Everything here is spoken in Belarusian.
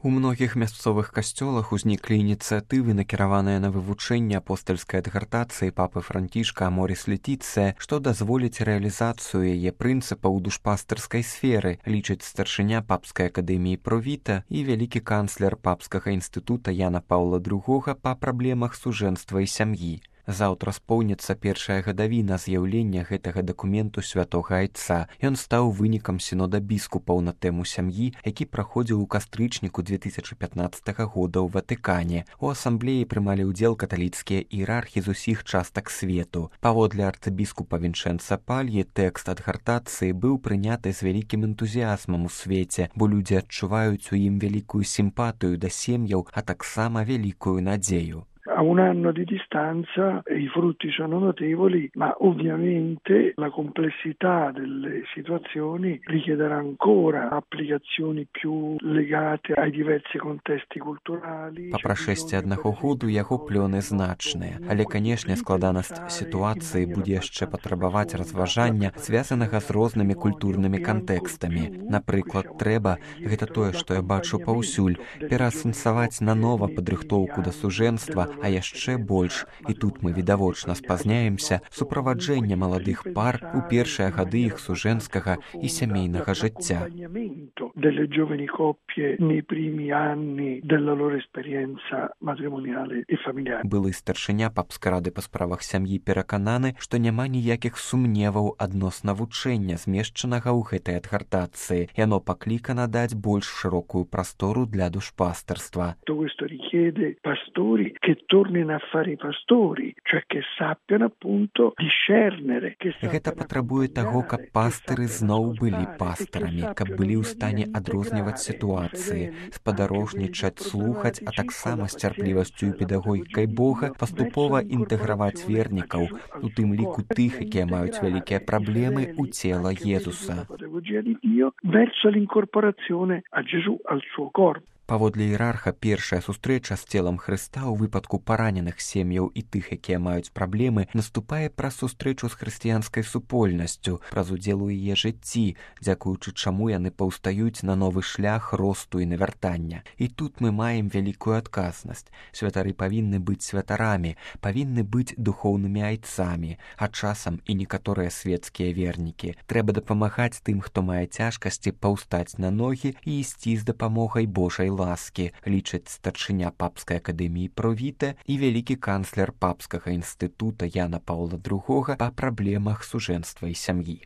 У многіх мясцовых касцёлах узніклі ініцыятывы, накіраваныя на вывучэнне апостальскай адгартацыі папы Францішка Аморіс Летіцыя, што дазволіць рэалізацыю яе прынцыпаў у душпастырскай сферы, лічыць старшыня папскай акадэміі Провіта і вялікі канцлер папскага інстытута Яна Паўла II па праблемах сужэнства і сям'і. Заўтра споўніцца першая гадавіна з'яўлення гэтага дакументу святога айца. Ён стаў вынікам сінода біскупаў на тэму сям'і, які праходзіў у кастрычніку 2015 года ў Ватыкане. У асамблеі прымалі ўдзел каталіцкія іерархі з усіх частак свету. Паводле арцыбіскупа Вінчэнца Пальі, тэкст адгартацыі быў прыняты з вялікім энтузіазмам у свеце, бо людзі адчуваюць у ім вялікую сімпатыю да сем'яў, а таксама вялікую надзею. A un anno di distanza i frutti sono notevoli, ma ovviamente la complessità delle situazioni richiederà ancora applicazioni più legate ai diversi contesti culturali. Па прашэсці аднаго году яго плёны значныя, але, канешне, складанасць сітуацыі будзе яшчэ патрабаваць разважання, звязанага з рознымі культурнымі кантэкстамі. Напрыклад, трэба, гэта тое, што я бачу паўсюль, пераасэнсаваць нанова падрыхтоўку да сужэнства, а яшчэ больш, і тут мы відавочна спазняемся, суправаджэнне маладых пар у першыя гады іх сужэнскага і сямейнага жыцця. Былы старшыня папскай рады па справах сям'і перакананы, што няма ніякіх сумневаў адносна вучэння, змешчанага ў гэтай адгартацыі. Яно паклікана даць больш шырокую прастору для душпастарства. Tornino a fare i pastori, cioè che sappiano appunto discernere. Гэта патрабуе таго, каб пастыры зноў былі пастарамі, каб былі ў стане адрозніваць сітуацыі, спадарожнічаць, слухаць, а таксама з цярплівасцю і педагогікай Бога паступова інтэграваць вернікаў, у тым ліку тых, якія маюць вялікія праблемы ў цела Езуса. Verso l'incorporazione a Gesù al suo corpo. Паводле іерарха, першая сустрэча з целам Хрыста ў выпадку параненых сем'яў і тых, якія маюць праблемы, наступае праз сустрэчу з хрысціянскай супольнасцю, праз удзел у яе жыцці, дзякуючы чаму яны паўстаюць на новы шлях росту і навяртання. І тут мы маем вялікую адказнасць. Святары павінны быць святарамі, павінны быць духоўнымі айцамі, а часам і некаторыя свецкія вернікі. Трэба дапамагаць тым, хто мае цяжкасці, паўстаць на ногі і ісці з дапамогай Божай ласкі, лічыць старшыня папскай акадэміі Провіта і вялікі канцлер папскага інстытута Яна Паўла II па праблемах сужэнства і сям'і.